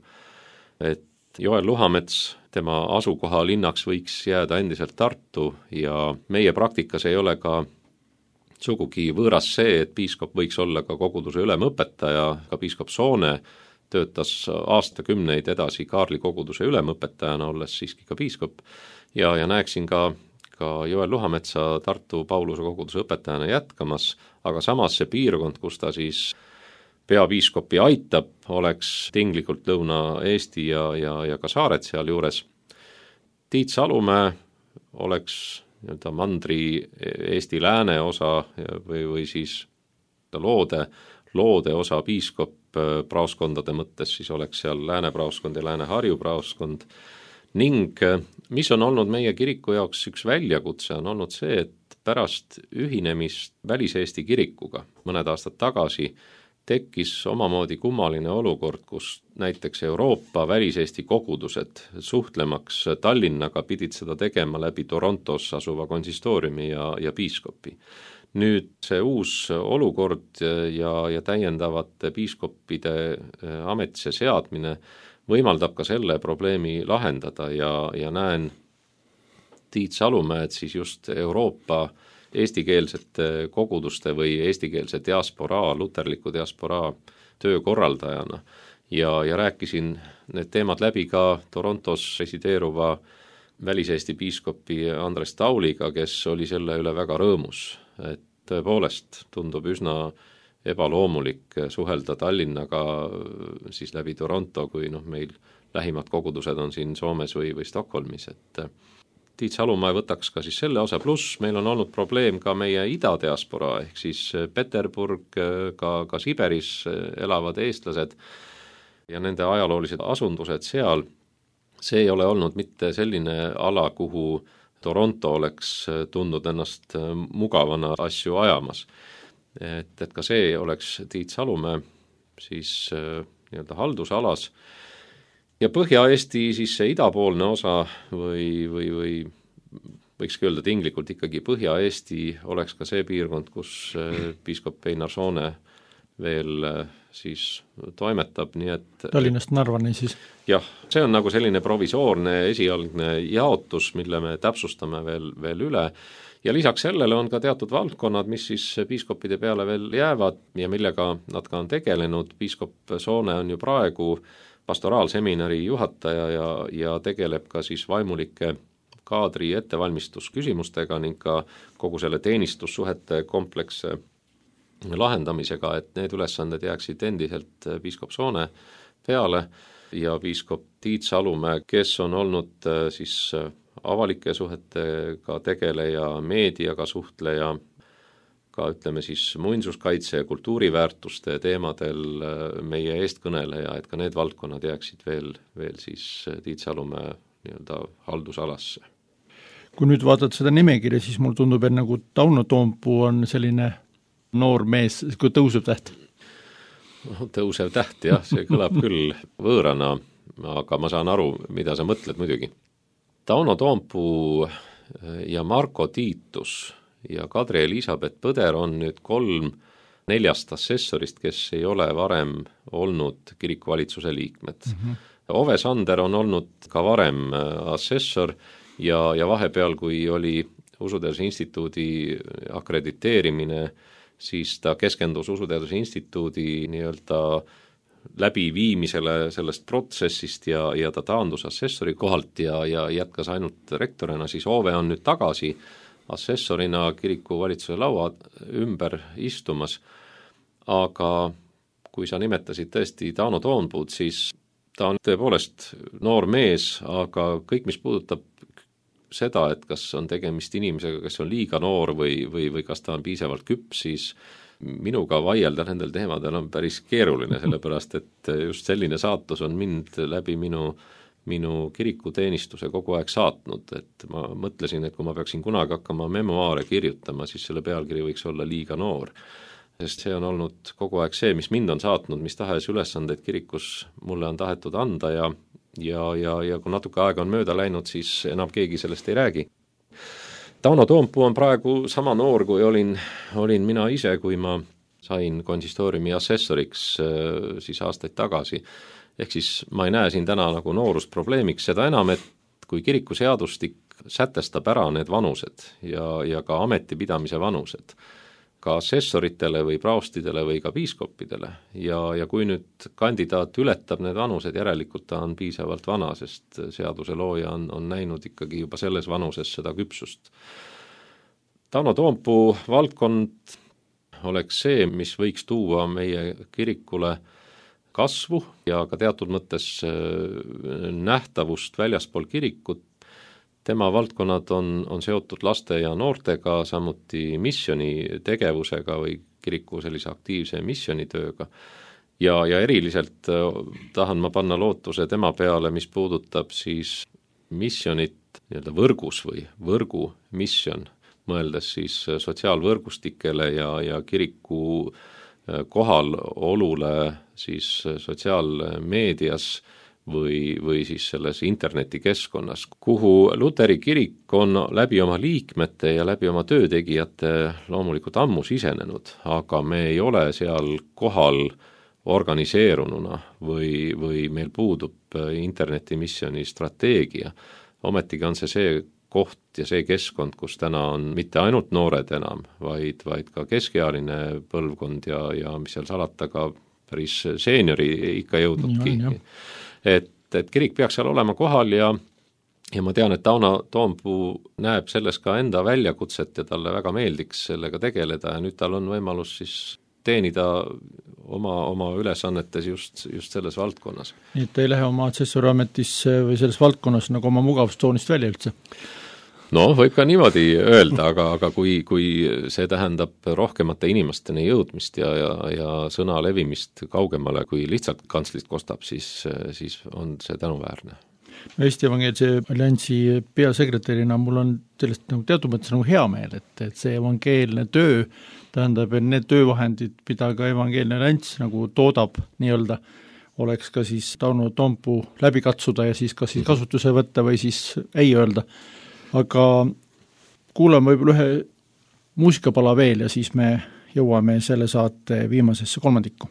et Joel Luhamets, tema asukoha linnaks võiks jääda endiselt Tartu ja meie praktikas ei ole ka sugugi võõras see, et piiskop võiks olla ka koguduse ülemõpetaja, ka piiskop Soone töötas aastakümneid edasi Kaarli koguduse ülemõpetajana, olles siiski ka piiskop ja, ja näeksin ka, ka Joel Luhametsa Tartu Pauluse koguduse õpetajana jätkamas, aga samas see piirkond, kus ta siis peapiiskopi aitab, oleks tinglikult Lõuna-Eesti ja, ja, ja ka saared seal juures. Tiit Salumäe oleks nii-öelda mandri Eesti lääne osa või, või siis loode, loode osa piiskop praoskondade mõttes, siis oleks seal Lääne praoskond ja Lääne-Harju praoskond. Ning mis on olnud meie kiriku jaoks üks väljakutse, on olnud see, et pärast ühinemist Välis-Eesti kirikuga mõned aastad tagasi tekkis omamoodi kummaline olukord, kus näiteks Euroopa Välis-Eesti kogudused suhtlemaks Tallinnaga pidid seda tegema läbi Torontos asuva konsistooriumi ja, ja piiskopi. Nüüd see uus olukord ja, ja täiendavate piiskoppide ametisse seadmine võimaldab ka selle probleemi lahendada ja, ja näen Tiit Salumäed siis just Euroopa eestikeelsete koguduste või eestikeelse diasporaa, luterliku diasporaa töökorraldajana ja, ja rääkisin need teemad läbi ka Torontos resideeruva Välis-Eesti piiskopi Andres Tauliga, kes oli selle üle väga rõõmus, et tõepoolest tundub üsna ebaloomulik suhelda Tallinnaga siis läbi Toronto, kui noh, meil lähimad kogudused on siin Soomes või, või Stockholmis, et Tiit Salumäe võtaks ka siis selle osa, pluss meil on olnud probleem ka meie idadiasporaa, ehk siis Peterburg, ka, ka Siberis elavad eestlased ja nende ajaloolised asundused seal, see ei ole olnud mitte selline ala, kuhu Toronto oleks tundnud ennast mugavana asju ajamas. Et, et ka see oleks Tiit Salumäe siis nii-öelda haldusalas. Ja Põhja-Eesti siis see idapoolne osa või, või, või võikski öelda tinglikult ikkagi Põhja-Eesti oleks ka see piirkond, kus piiskop Einar Soone veel siis toimetab, nii et Tallinnast Narvani siis? Jah, see on nagu selline provisoorne esialgne jaotus, mille me täpsustame veel, veel üle ja lisaks sellele on ka teatud valdkonnad, mis siis piiskopide peale veel jäävad ja millega nad ka on tegelenud. Piiskop Soone on ju praegu pastoraalseminari juhataja ja, ja tegeleb ka siis vaimulike kaadri ettevalmistusküsimustega ning ka kogu selle teenistussuhete kompleksse lahendamisega, et need ülesanded jääksid endiselt piiskop Soone peale ja piiskop Tiit Salumäe, kes on olnud siis avalike suhetega tegeleja, meediaga suhtleja, ka ütleme siis muinsuskaitse ja kultuuriväärtuste teemadel meie eestkõneleja, et ka need valdkonnad jääksid veel, veel siis Tiit Salumäe nii-öelda haldusalasse. Kui nüüd vaatad seda nimekirja, siis mul tundub, et nagu Tauno Toompuu on selline noor mees, kui tõusev täht? Tõusev täht, jah, see kõlab küll võõrana, aga ma saan aru, mida sa mõtled muidugi. Tauno Toompuu ja Marko Tiitus ja Kadri Elisabeth Põder on nüüd kolm neljast assessorist, kes ei ole varem olnud kirikuvalitsuse liikmed. Mm-hmm. Ove Sander on olnud ka varem assessor ja, ja vahepeal, kui oli Usuteaduse Instituudi akrediteerimine, siis ta keskendus Usuteaduse Instituudi nii-öelda läbiviimisele sellest protsessist ja, ja ta taandus assessori kohalt ja, ja jätkas ainult rektorina, siis Ove on nüüd tagasi assessorina kiriku valitsuse laua ümber istumas, aga kui sa nimetasid tõesti Tauno Toompuud, siis ta on tõepoolest noor mees, aga kõik, mis puudutab seda, et kas on tegemist inimesega, kes on liiga noor või, või, või kas ta on piisavalt küps, siis minuga vaielda nendel teemadel on päris keeruline, sellepärast et just selline saatus on mind läbi minu, minu kirikuteenistuse kogu aeg saatnud, et ma mõtlesin, et kui ma peaksin kunagi hakkama memoaare kirjutama, siis selle pealkiri võiks olla liiga noor, sest see on olnud kogu aeg see, mis mind on saatnud, mis tahes ülesandeid kirikus mulle on tahetud anda ja ja, ja, ja kui natuke aega on mööda läinud, siis enam keegi sellest ei räägi. Tauno Toompuu on praegu sama noor, kui olin, olin mina ise, kui ma sain konsistooriumi assessoriks siis aastaid tagasi. Ehk siis ma ei näe siin täna nagu noorusprobleemiks, seda enam, et kui kirikuseadustik sätestab ära need vanused ja, ja ka ametipidamise vanused, ka assessoritele või praostidele või ka piiskoppidele ja, ja kui nüüd kandidaat ületab need vanused, järelikult ta on piisavalt vana, sest seaduse looja on, on näinud ikkagi juba selles vanuses seda küpsust. Tauno Toompuu valdkond oleks see, mis võiks tuua meie kirikule kasvu ja ka teatud mõttes nähtavust väljaspool kirikut. tema valdkonnad on, on seotud laste ja noortega, samuti missiooni tegevusega või kiriku sellise aktiivse missionitööga. Ja, ja eriliselt tahan ma panna lootuse tema peale, mis puudutab siis missionit nii-öelda võrgus või võrgu mission, mõeldes siis sotsiaalvõrgustikele ja, ja kiriku kohalolule siis sotsiaalmeedias või, või siis selles internetikeskkonnas, kuhu Luteri kirik on läbi oma liikmete ja läbi oma töötegijate loomulikult ammu sisenenud, aga me ei ole seal kohal organiseerununa või, või meil puudub internetimissioni strateegia. Ometigi on see see koht ja see keskkond, kus täna on mitte ainult noored enam, vaid, vaid ka keskealine põlvkond ja, ja mis seal salata ka päris seeniori ikka jõudnudki. Et, et kirik peaks seal olema kohal ja, ja ma tean, et Tauno Toompuu näeb selles ka enda väljakutset ja talle väga meeldiks sellega tegeleda ja nüüd tal on võimalus siis teenida oma, oma ülesannetes just, just selles valdkonnas. Nii et ei lähe oma atsessoriametis või selles valdkonnas nagu oma mugavustsoonist välja üldse? No võib ka niimoodi öelda, aga, aga kui, kui see tähendab rohkemate inimesteni jõudmist ja, ja, ja sõna levimist kaugemale, kui lihtsalt kantslist kostab, siis, siis on see tänuväärne. Eesti Evangeelse Alliansi peasekretärina mul on sellest nagu teatud mõttes nagu hea meel, et, et see evangeelne töö tähendab, et need töövahendid, mida ka Evangeelne Allianss nagu toodab nii-öelda, oleks ka siis Tauno Toompuu läbi katsuda ja siis kas siis kasutuse võtta või siis ei öelda. Aga kuulame võib-olla ühe muusikapala veel ja siis me jõuame selle saate viimasesse kolmandikku.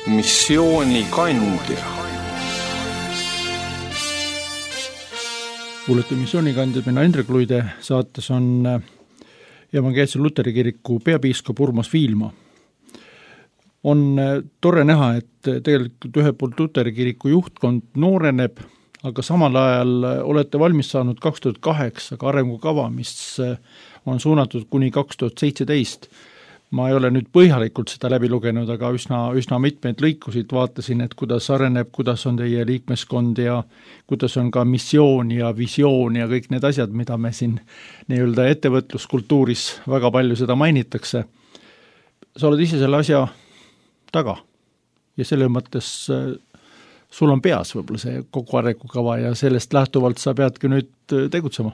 Missioonikandja. Kuulete missioonikandja, mina Indrek Luide, saates on Evangeelse Luteri kiriku peapiiskop Urmas Viilma. On tore näha, et tegelikult ühe poolt Luteri kiriku juhtkond nooreneb, aga samal ajal olete valmis saanud kaks tuhat kaheksa ka arengukava, mis on suunatud kuni kaks tuhat seitseteist. Ma ei ole nüüd põhjalikult seda läbi lugenud, aga üsna, üsna mitmeid lõikusid vaatasin, et kuidas areneb, kuidas on teie liikmeskond ja kuidas on ka missioon ja visioon ja kõik need asjad, mida me siin nii-öelda ettevõtluskultuuris väga palju seda mainitakse. Sa oled ise selle asja taga ja selle mõttes sul on peas võib-olla see kogu arengukava ja sellest lähtuvalt sa peadki nüüd tegutsema.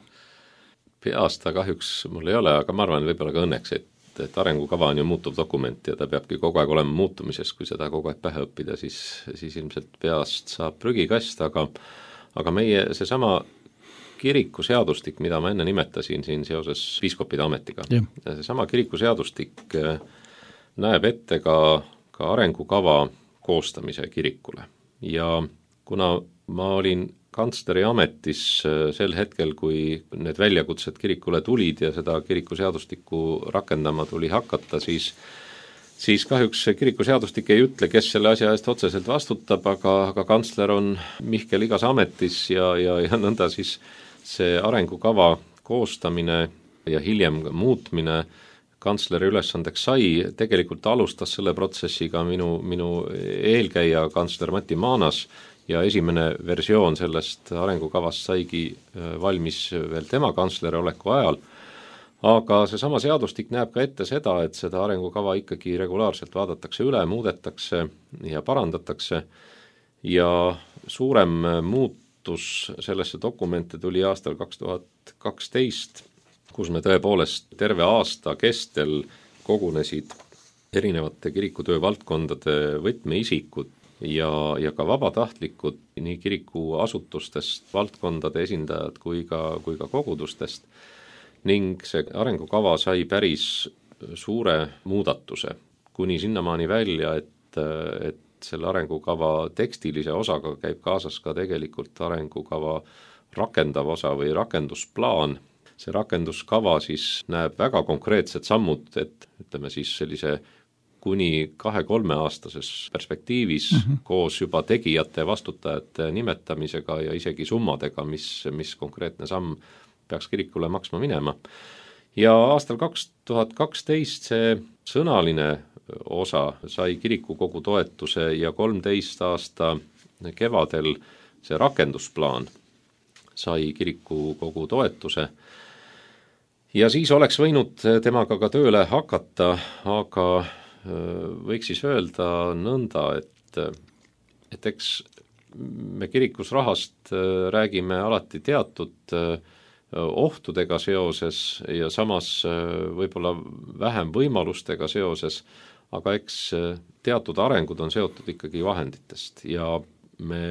Peas ta kahjuks mul ei ole, aga ma arvan võib-olla ka õnneks, et et arengukava on ju muutuv dokument ja ta peabki kogu aeg olema muutumises, kui seda kogu aeg pähe õppida, siis, siis ilmselt peast saab prügikast, aga, aga meie seesama kirikuseadustik, mida ma enne nimetasin siin seoses piiskopide ametiga, seesama kirikuseadustik näeb ette ka, ka arengukava koostamise kirikule ja kuna ma olin kantsleri ametis sel hetkel, kui need väljakutsed kirikule tulid ja seda kirikuseadustikku rakendama tuli hakata, siis, siis kahjuks kirikuseadustik ei ütle, kes selle asja eest otseselt vastutab, aga, aga kantsler on Mihkel igas ametis ja, ja, ja nõnda siis see arengukava koostamine ja hiljem muutmine kantsleri ülesandeks sai, tegelikult alustas selle protsessiga minu, minu eelkäija kantsler Mati Maanas ja esimene versioon sellest arengukavast saigi valmis veel tema kantsleri oleku ajal, aga seesama seadustik näeb ka ette seda, et seda arengukava ikkagi regulaarselt vaadatakse üle, muudetakse ja parandatakse ja suurem muutus sellesse dokumente tuli aastal kaks tuhat kaksteist, kus me tõepoolest terve aasta kestel kogunesid erinevate kirikutöö valdkondade võtmeisikud ja, ja ka vabatahtlikud nii kirikuasutustest, valdkondade esindajad kui ka, kui ka kogudustest ning see arengukava sai päris suure muudatuse, kuni sinnamaani välja, et, et selle arengukava tekstilise osaga käib kaasas ka tegelikult arengukava rakendav osa või rakendusplaan. See rakenduskava siis näeb väga konkreetsed sammud, et ütleme siis sellise kuni kahe-kolme aastases perspektiivis mm-hmm. koos juba tegijate, vastutajate nimetamisega ja isegi summadega, mis, mis konkreetne samm peaks kirikule maksma minema. Ja aastal kaks tuhat kaksteist see sõnaline osa sai kirikukogu toetuse ja kolmteist aasta kevadel see rakendusplaan sai kirikukogu toetuse. Ja siis oleks võinud temaga ka tööle hakata, aga võiks siis öelda nõnda, et, et eks me kirikus rahast räägime alati teatud ohtudega seoses ja samas võib-olla vähem võimalustega seoses, aga eks teatud arengud on seotud ikkagi vahenditest ja me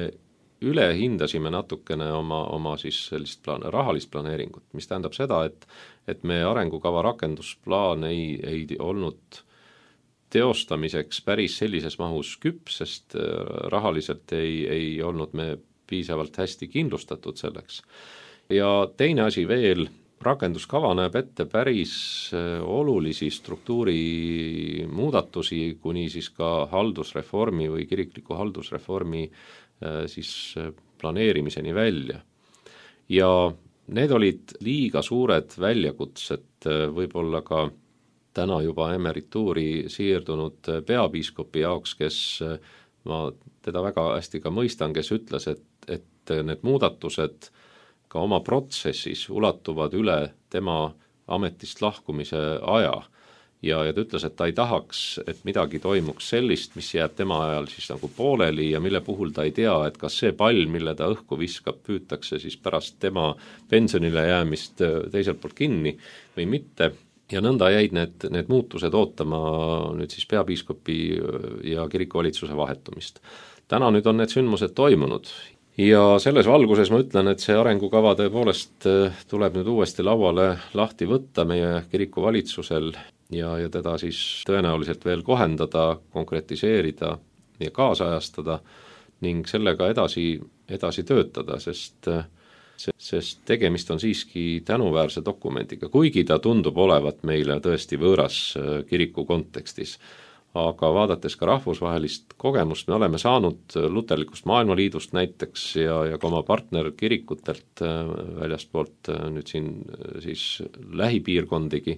üle hindasime natukene oma, oma siis sellist plaan, rahalist planeeringut, mis tähendab seda, et, et me arengukava rakendusplaan ei, ei olnud teostamiseks päris sellises mahus küps, sest rahaliselt ei, ei olnud me piisavalt hästi kindlustatud selleks. Ja teine asi veel, rakenduskava näeb ette päris olulisi struktuuri muudatusi, kuni siis ka haldusreformi või kirikliku haldusreformi siis planeerimiseni välja. Ja need olid liiga suured väljakutsed võib-olla ka täna juba emerituuri siirdunud peapiiskopi jaoks, kes ma teda väga hästi ka mõistan, kes ütles, et, et need muudatused ka oma protsessis ulatuvad üle tema ametist lahkumise aja ja, ja ta ütles, et ta ei tahaks, et midagi toimuks sellist, mis jääb tema ajal siis nagu pooleli ja mille puhul ta ei tea, et kas see pall, mille ta õhku viskab, püütakse siis pärast tema pensionile jäämist teiselt poolt kinni või mitte. Ja nõnda jäid need, need muutused ootama nüüd siis peapiiskopi ja kirikuvalitsuse vahetumist. Täna nüüd on need sündmused toimunud ja selles valguses ma ütlen, et see arengukava tõepoolest tuleb nüüd uuesti lauale lahti võtta meie kirikuvalitsusel ja, ja teda siis tõenäoliselt veel kohendada, konkretiseerida ja kaasajastada ning sellega edasi, edasi töötada, sest sest tegemist on siiski tänuväärse dokumendiga, kuigi ta tundub olevat meile tõesti võõras kiriku kontekstis. Aga vaadates ka rahvusvahelist kogemust, me oleme saanud Luterlikust Maailmaliidust näiteks ja, ja ka oma partnerkirikutelt väljaspoolt nüüd siin siis lähipiirkondigi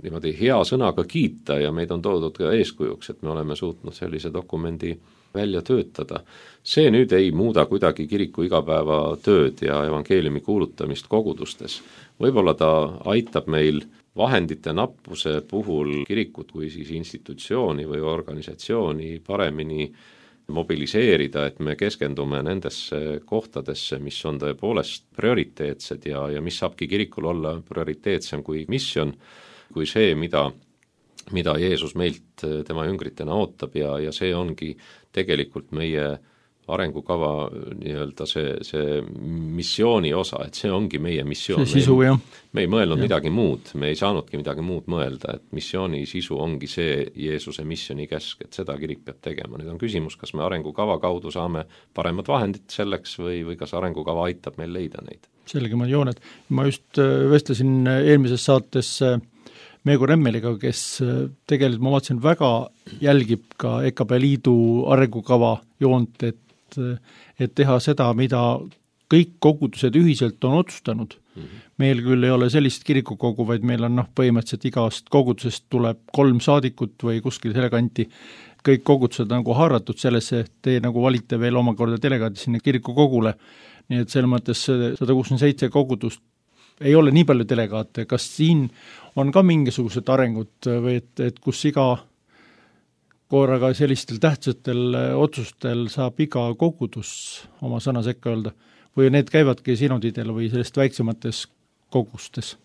niimoodi hea sõnaga kiita ja meid on toodud ka eeskujuks, et me oleme suutnud sellise dokumendi välja töötada. See nüüd ei muuda kuidagi kiriku igapäevatööd ja evangeeliumi kuulutamist kogudustes. Võib-olla ta aitab meil vahendite nappuse puhul kirikut kui siis institutsiooni või organisatsiooni paremini mobiliseerida, et me keskendume nendesse kohtadesse, mis on tõepoolest prioriteetsed ja, ja mis saabki kirikul olla prioriteetsem kui misjon, kui see, mida mida Jeesus meilt tema jüngritena ootab ja, ja see ongi tegelikult meie arengukava nii-öelda see, see missiooni osa, et see ongi meie missioon. See sisu, jah. Me ei mõelnud ja. midagi muud, me ei saanudki midagi muud mõelda, et missiooni sisu ongi see Jeesuse missiooni käsk, et seda kirik peab tegema. Nüüd on küsimus, kas me arengukava kaudu saame paremad vahendid selleks või, või kas arengukava aitab meil leida neid. Selgemad jooned. Ma just vestlesin eelmises saates Meego Remmeliga, kes tegelikult, ma vaatasin, väga jälgib ka E K P Liidu arengukava joont, et, et teha seda, mida kõik kogudused ühiselt on otsustanud. Mm-hmm. Meil küll ei ole sellist kirikukogu, vaid meil on noh, põhimõtteliselt igast kogudusest tuleb kolm saadikut või kuskil selle kanti, kõik kogudused on nagu haaratud sellesse, et te nagu valite veel omakorda delegaadi sinna kirikukogule, nii et selles mõttes sada kuuskümmend seitse kogudust ei ole nii palju delegaate, kas siin on ka mingisugused arengud või et, et kus iga korraga sellistel tähtsatel otsustel saab iga kogudus oma sõna sekka öelda või need käivadki sinodidel või sellest väiksemates kogustes?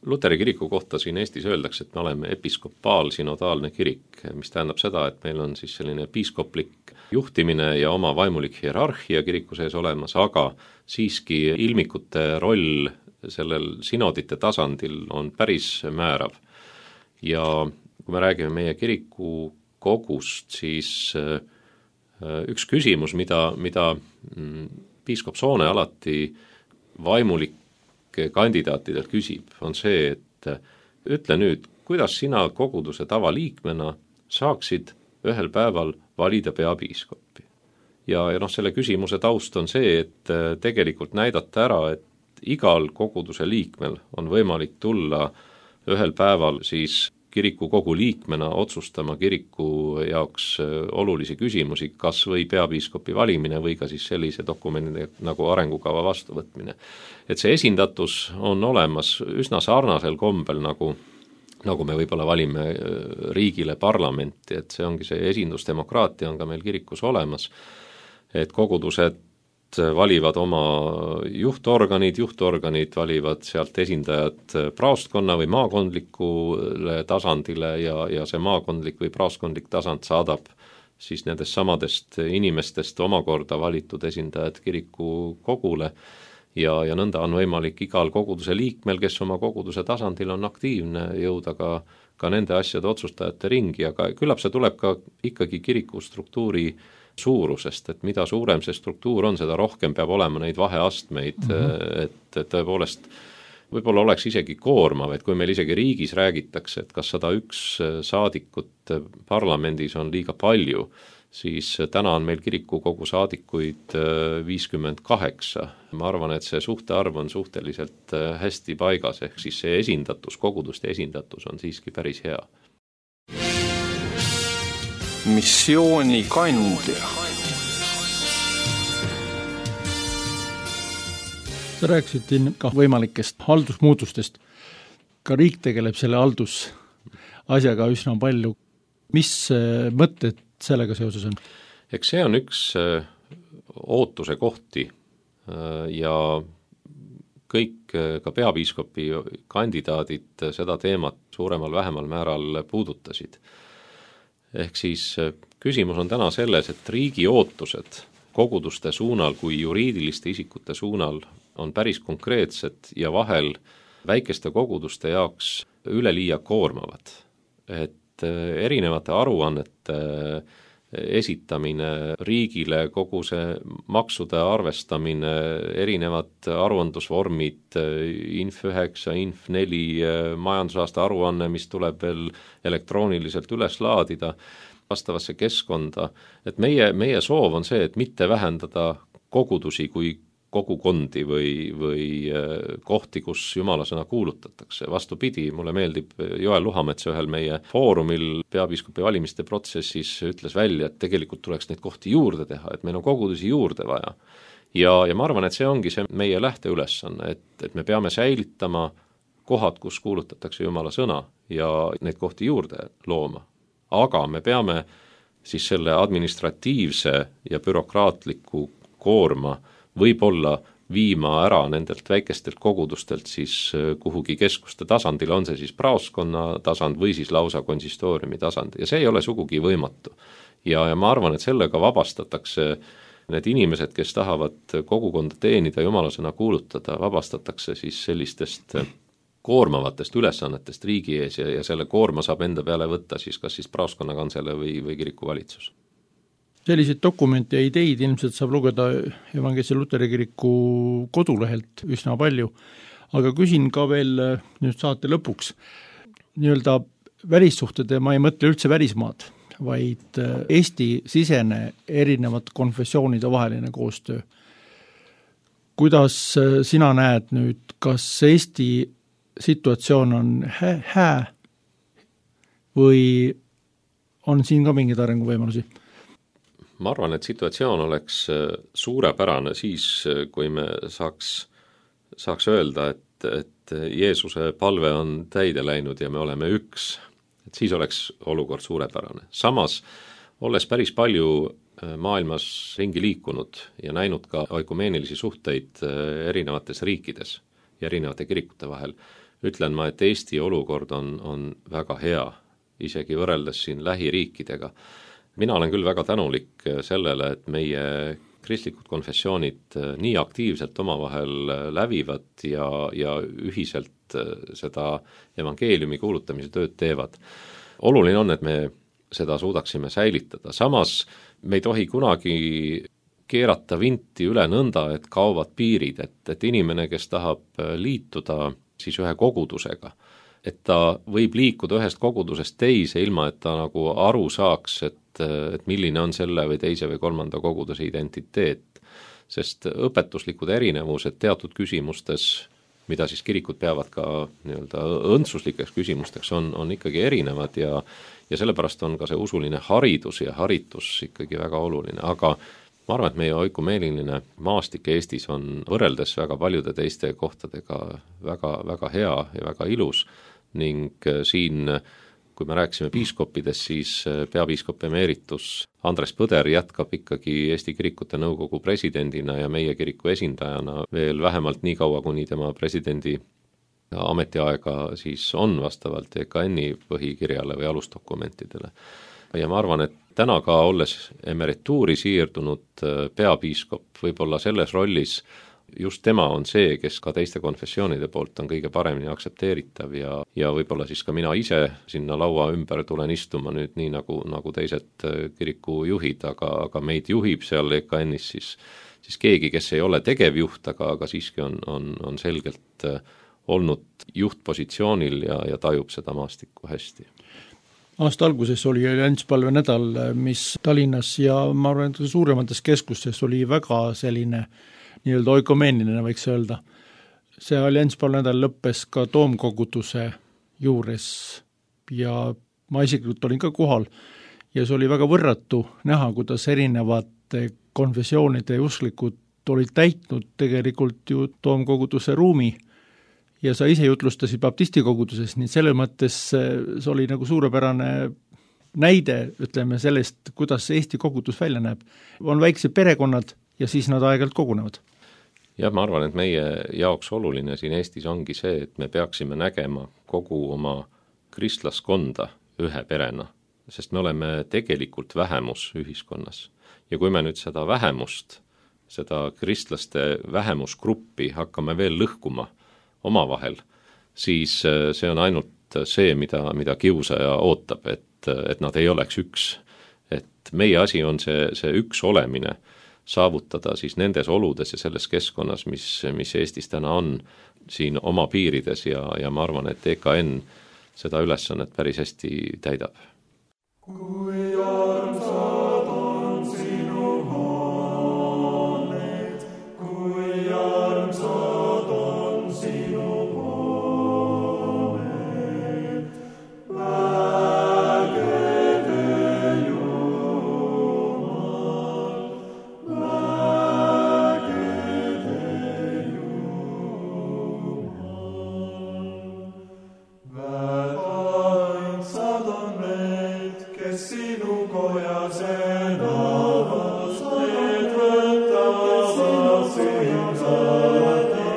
Luteri kiriku kohta siin Eestis öeldakse, et me oleme episkopaal-sinodaalne kirik, mis tähendab seda, et meil on siis selline piiskoplik juhtimine ja oma vaimulik hierarhia kiriku sees olemas, aga siiski ilmikute roll sellel sinodite tasandil on päris määrav. Ja kui me räägime meie kiriku kogust, siis üks küsimus, mida, mida piiskop Soone alati vaimulik kandidaatidelt küsib, on see, et ütle nüüd, kuidas sina koguduse tavaliikmena saaksid ühel päeval valida peapiiskopi. Ja, ja noh, selle küsimuse taust on see, et tegelikult näidata ära, et igal koguduse liikmel on võimalik tulla ühel päeval siis kiriku kogu liikmena otsustama kiriku jaoks olulisi küsimusi, kas või peapiiskopi valimine või ka siis sellise dokumendi nagu arengukava vastuvõtmine. Et see esindatus on olemas üsna sarnasel kombel, nagu, nagu me võib-olla valime riigile parlamenti, et see ongi see esindusdemokraatia on ka meil kirikus olemas, et kogudused valivad oma juhtorganid, juhtorganid valivad sealt esindajad praostkonna või maakondlikule tasandile ja, ja see maakondlik või praostkondlik tasand saadab siis nendest samadest inimestest omakorda valitud esindajad kiriku kogule ja, ja nõnda on võimalik igal koguduse liikmel, kes oma koguduse tasandil on aktiivne, jõuda ka, ka nende asjade otsustajate ringi, aga küllap see tuleb ka ikkagi kiriku struktuuri suurusest, et mida suurem see struktuur on, seda rohkem peab olema neid vaheastmeid, mm-hmm. et, et tõepoolest võib-olla oleks isegi koormav, et kui meil isegi riigis räägitakse, et kas sada üks saadikut parlamendis on liiga palju, siis täna on meil kirikukogu saadikuid viiskümmend kaheksa. Ma arvan, et see suhtearv on suhteliselt hästi paigas, ehk siis see esindatus, koguduste esindatus on siiski päris hea. Missioonikandja. Sa rääkisid ka võimalikest haldusmuutustest. Ka riik tegeleb selle haldusasjaga üsna palju. Mis mõtted sellega seoses on? Eks see on üks ootuse kohti ja kõik ka peapiiskopi kandidaadid seda teemat suuremal vähemal määral puudutasid. Ehk siis küsimus on täna selles, et riigi ootused koguduste suunal kui juriidiliste isikute suunal on päris konkreetsed ja vahel väikeste koguduste jaoks üleliia koormavad. Et erinevate aruannete esitamine riigile, kogu see maksude arvestamine, erinevad aruandlusvormid, Inf üheksa, Inf neli, majandusaasta aruanne, mis tuleb veel elektrooniliselt üles laadida vastavasse keskkonda, et meie, meie soov on see, et mitte vähendada kogudusi kui kogukondi või, või kohti, kus jumala sõna kuulutatakse. Vastupidi, mulle meeldib Joel Luhamets ühel meie foorumil peapiiskopi valimiste protsessis ütles välja, et tegelikult tuleks neid kohti juurde teha, et meil on kogudusi juurde vaja. Ja, ja ma arvan, et see ongi see meie lähteülesanne, et, et me peame säilitama kohad, kus kuulutatakse jumala sõna ja neid kohti juurde looma. Aga me peame siis selle administratiivse ja bürokraatliku koorma võib-olla viima ära nendelt väikestelt kogudustelt siis kuhugi keskuste tasandil, on see siis praoskonna tasand või siis lausa konsistooriumi tasand ja see ei ole sugugi võimatu. Ja, ja ma arvan, et sellega vabastatakse need inimesed, kes tahavad kogukonda teenida, jumala sõna kuulutada, vabastatakse siis sellistest koormavatest ülesannetest riigi ees ja, ja selle koorma saab enda peale võtta siis kas siis praoskonna kansele või, või kirikuvalitsus. Selliseid dokumente ja ideid ilmselt saab lugeda Evangeelse Luteri kiriku kodulehelt üsna palju, aga küsin ka veel nüüd saate lõpuks nii-öelda välissuhted ja ma ei mõtle üldse välismaad, vaid Eesti sisene erinevad konfessioonide vaheline koostöö. kuidas sina näed nüüd, kas Eesti situatsioon on hää, hää või on siin ka mingeid arenguvõimalusi? Ma arvan, et situatsioon oleks suurepärane siis, kui me saaks, saaks öelda, et, et Jeesuse palve on täide läinud ja me oleme üks, et siis oleks olukord suurepärane. Samas, olles päris palju maailmas ringi liikunud ja näinud ka oikumeenilisi suhteid erinevates riikides ja erinevate kirikute vahel, ütlen ma, et Eesti olukord on, on väga hea, isegi võrreldes siin lähiriikidega. Mina olen küll väga tänulik sellele, et meie kristlikud konfessioonid nii aktiivselt omavahel lävivad ja, ja ühiselt seda evangeeliumi kuulutamise tööd teevad. Oluline on, et me seda suudaksime säilitada. Samas me ei tohi kunagi keerata vinti üle nõnda, et kaovad piirid, et, et inimene, kes tahab liituda siis ühe kogudusega, et ta võib liikuda ühest kogudusest teise, ilma et ta nagu aru saaks, et, et milline on selle või teise või kolmanda koguduse identiteet. Sest õpetuslikud erinevused teatud küsimustes, mida siis kirikud peavad ka nii-öelda õndsuslikeks küsimusteks, on, on ikkagi erinevad ja, ja sellepärast on ka see usuline haridus ja haritus ikkagi väga oluline, aga ma arvan, et meie oikumeeliline maastik Eestis on võrreldes väga paljude teiste kohtadega väga, väga hea ja väga ilus ning siin, kui me rääkisime piiskoppidest, siis peapiiskop emeritus Andres Põder jätkab ikkagi Eesti Kirikute Nõukogu presidendina ja meie kiriku esindajana veel vähemalt nii kaua, kuni tema presidendi ametiaega siis on vastavalt E K N-i põhikirjale või alusdokumentidele. Ja ma arvan, et täna ka olles emerituuri siirdunud peapiiskop võib-olla selles rollis, just tema on see, kes ka teiste konfessioonide poolt on kõige paremini aktsepteeritav ja, ja võib-olla siis ka mina ise sinna laua ümber tulen istuma nüüd nii nagu, nagu teised kirikujuhid, aga, aga meid juhib seal E K N-is siis, siis keegi, kes ei ole tegevjuht, aga, aga siiski on, on, on selgelt olnud juhtpositsioonil ja, ja tajub seda maastikku hästi. Aasta alguses oli allianspalve nädal, mis Tallinnas ja ma arvan, et suuremates keskustes oli väga selline nii-öelda oikomeeniline, võiks öelda. See allianspalve nädal lõppes ka toomkoguduse juures ja ma isiklikult olin ka kohal ja see oli väga võrratu näha, kuidas erinevate konfessioonide usklikud olid täitnud tegelikult ju toomkoguduse ruumi ja sa ise jutlustasid baptistikoguduses, nii selles mõttes see oli nagu suurepärane näide, ütleme sellest, kuidas Eesti kogudus välja näeb. On väiksed perekonnad ja siis nad aeg-ajalt kogunevad. Ja ma arvan, et meie jaoks oluline siin Eestis ongi see, et me peaksime nägema kogu oma kristlaskonda ühe perena, sest me oleme tegelikult vähemus ühiskonnas. Ja kui me nüüd seda vähemust, seda kristlaste vähemusgruppi hakkame veel lõhkuma omavahel, siis see on ainult see, mida, mida kiusaja ootab, et, et nad ei oleks üks. Et meie asi on see, see üks olemine saavutada siis nendes oludes ja selles keskkonnas, mis, mis Eestis täna on siin oma piirides ja, ja ma arvan, et E K N seda ülesannet päris hästi täidab. Kui armsad on sinu hooned, kui armsad on sinu hooned, vägede Jumal, vägede Jumal. Väeainsad on need, kes sinu kojas elavad, need võtavad sinu kojas elavad.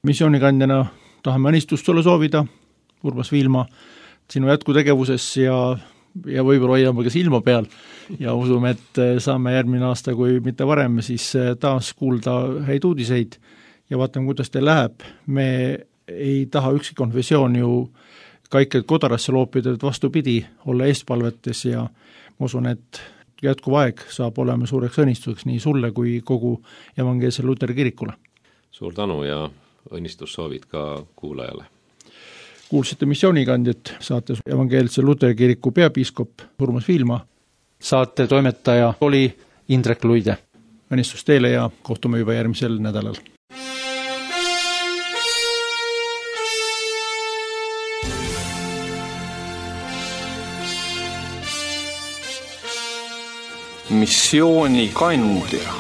missioonikandjana tahame õnnistust sulle soovida, Urmas Viilma, sinu jätkutegevuses ja ja võib-olla hoiame ka silma peal ja usume, et saame järgmine aasta, kui mitte varem, siis taas kuulda häid uudiseid ja vaatame, kuidas teil läheb. Me ei taha ükski konfessioon ju kaiked kodarasse loopida, et vastupidi, olla eestpalvetes ja ma usun, et jätkuv aeg saab olema suureks õnnistuseks nii sulle kui kogu evangeelsele Luteri kirikule. Suur tänu ja õnnistussoovid ka kuulajale. Kuulsite missioonikandjat, saates evangeelse Luteri kiriku peapiiskop Urmas Viilma. Saate toimetaja oli Indrek Luide. Õnnistus teile ja kohtume juba järgmisel nädalal. Missioonikandja.